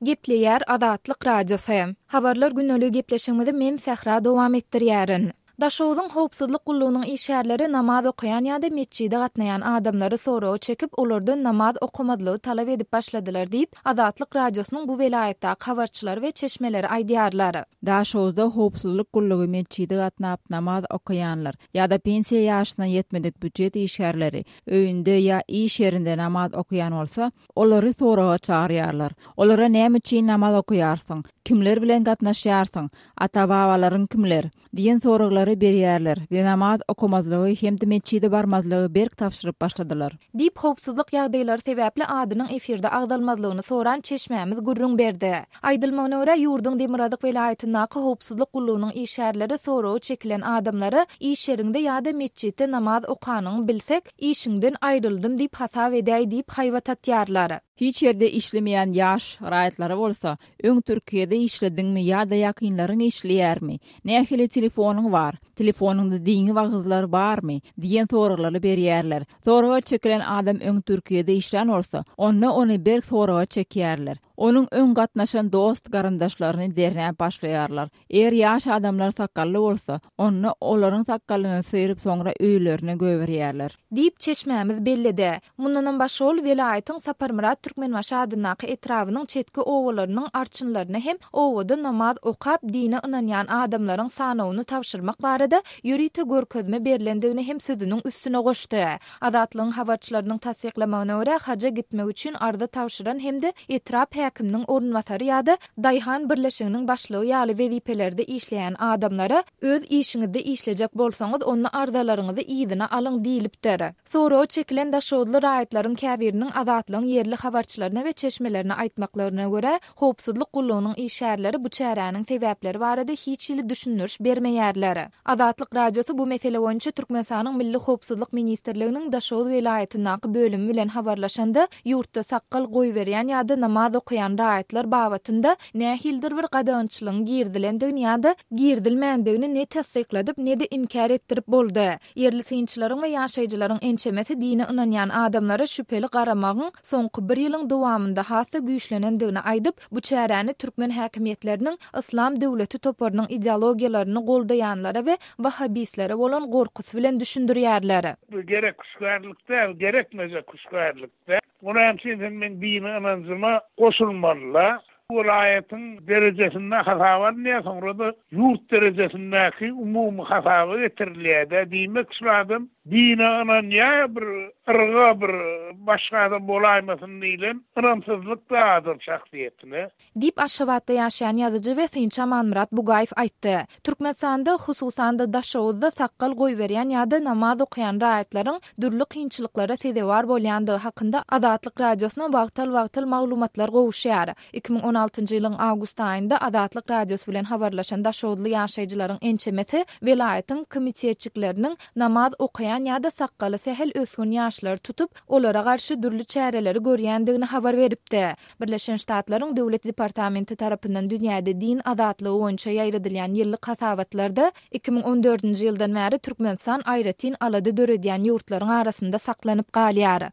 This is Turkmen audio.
Gepleýär Azatlyk Radiosy. Habarlar gündeligi gepleşigimizi men Sähra dowam etdirýärin. Daşoguzyň howpsuzlyk gullugynyň işgärleri namaz okaýan ýa-da metjide gatnaýan adamlary soraga çekip, olardan namaz okamazlygy talap edip başladylar diýip, Azatlyk Radiosynyň bu welaýatdaky habarçylary we çeşmeleri aýdýarlar. Daşoguzda howpsuzlyk gullugy metjide gatnap namaz okaýanlar ýa-da pensiýa ýaşyna ýetmedik býujet işgärleri öýünde ýa iş ýerinde namaz okaýan bolsa, Olary soraga çagyrýarlar. Olara näme üçin namaz okaýarsyň? Kimler bilen gatnaşýarsyň? Ata-babalaryň kimler? diýen soraglary berýärler we namaz okamazlygy hem-de metjide barmazlygy berk tabşyryp başladylar. Diýip, howpsuzlyk ýagdaýlary sebäpli adynyň efirde agzalmazlygyny soran çeşmämiz gürrüň berdi. Aýdylmagyna görä, ýurduň demirgazyk welaýatyndaky howpsuzlyk gullugynyň işgärleri soraga çekilen adamlara iş ýeriňde ýa-da metjitde namaz okanyňy bilsek, Işiňden aýryldym diýip hasap edäý diýip haýbat atýarlar. Hiç ýerde işlemeýän ýaş raýatlara bolsa, öň Türkiýede işlediňmi ýa-da ýakynlaryň işleýärmi, nähili telefonyň bar, telefonyňda dini wagyzlar barmy diýen soraglary berýärler. Soraga çekilen adam öň Türkiýede işlän bolsa, onda ony berk soraga çekýärler. Onuň öň gatnaşan dost-garyndaşlaryny derňäp başlaýarlar. Eger ýaş adamlar sakgally bolsa, onda olaryň sakgalyny syryp soňra öýlerine göýberýärler. Diýip, çeşmämiz belledi. Mundanam başga ol welaýatyň Saparmyrat Türkmenbaşy adyndaky etrabynyň çetki obalarynyň arçynlaryna hem obada namaz okap, dine ynanýan adamlaryň sanawyny tabşyrmak barada ýörite görkezme berlendigini hem sözüniň üstüne goşdy. Azatlygyň habarçylarynyň tassyklamagyna görä, haja gitmek üçin arza tabşyran hem-de etrap häkiminiň orunbasary ýa-da daýhan birleşiginiň başlygy ýaly wezipelerde işleýän adamlara öz işiňizde işlejek bolsaňyz, onda arzalaryňyzy yzyna alyň diýlipdir. Soraga çekilen daşoguzly raýatlaryň käbiriniň Azatlygyň ýerli habarçylaryna we çeşmelerine aýtmaklaryna görä, howpsuzlyk gullugynyň işgärleri bu çäräniň sebäpleri barada hiç hili düşündiriş bermeýärler. Azatlyk Radiosy bu mesele boýunça Türkmenistanyň Milli howpsuzlyk ministrliginiň Daşoguz welaýatyndaky bölümi bilen habarlaşanda, ýurtda sakgal goýberýän ýa-da namaz okaýan raýatlar babatynda nähilidir bir gadagançylygyň girizilendigini ýa-da girizilmändigini ne tassykladyp, ne-de inkär etdirip boldy. Ýerli synçylaryň we ýaşaýjylaryň ençemesi dine ynanýan adamlara şübheli garamagyň soňky bir ýylyň dowamynda has-da güýçlenendigini aýdyp, bu çäräni türkmen häkimiýetleriniň Yslam döwleti toparynyň ideologiýalaryny goldaýanlara we wahhabistlere bolan gorkusy bilen düşündirýärler. Bu gerek hüşgärlik däl, gerekmejek hüşgärlik däl. O näme üçin sen meň dini ynanjyma goşulmaly-la? Welaýatyň derejesinde hasaba alynýar, soňra-da ýurt derejesindäki umumy hasaba getirilýär-dä. Diýmek, şul adam dine ynanýar, bir yrga, bir başga adam bolaýmasyn diýlen ynamsyzlyk-da adam şahsyýetine. Diýip, Aşgabatda ýaşaýan ýazyjy we synçy Amanmyrat Bugaýew aýtdy. Türkmenistanda, hususan-da, Daşoguzda sakgal goýberýän ýa-da namaz okaýan raýatlaryň dürli kynçylyklara sezewar bolýandygy hakynda Azatlyk Radiosyna wagtal-wagtal maglumatlar gowuşýar. 2016-njy ýylyň awgust aýynda Azatlyk Radiosy bilen habarlaşan daşoguzly ýaşaýjylaryň ençemesi welaýatyň komitetçikleriniň namaz okaýan ýa-da sakgaly sähel ösgün ýaşlary tutup, olara garşy dürli çäreleri görýändigini habar beripdi. Birleşen Ştatlaryň Döwlet departamenti tarapyndan dünýäde din azatlygy boýunça ýaýradylýan ýyllyk hasabatlarda 2014-nji ýyldan bäri Türkmenistan aýratyn alada döredýän ýurtlaryň arasynda saklanyp galýar.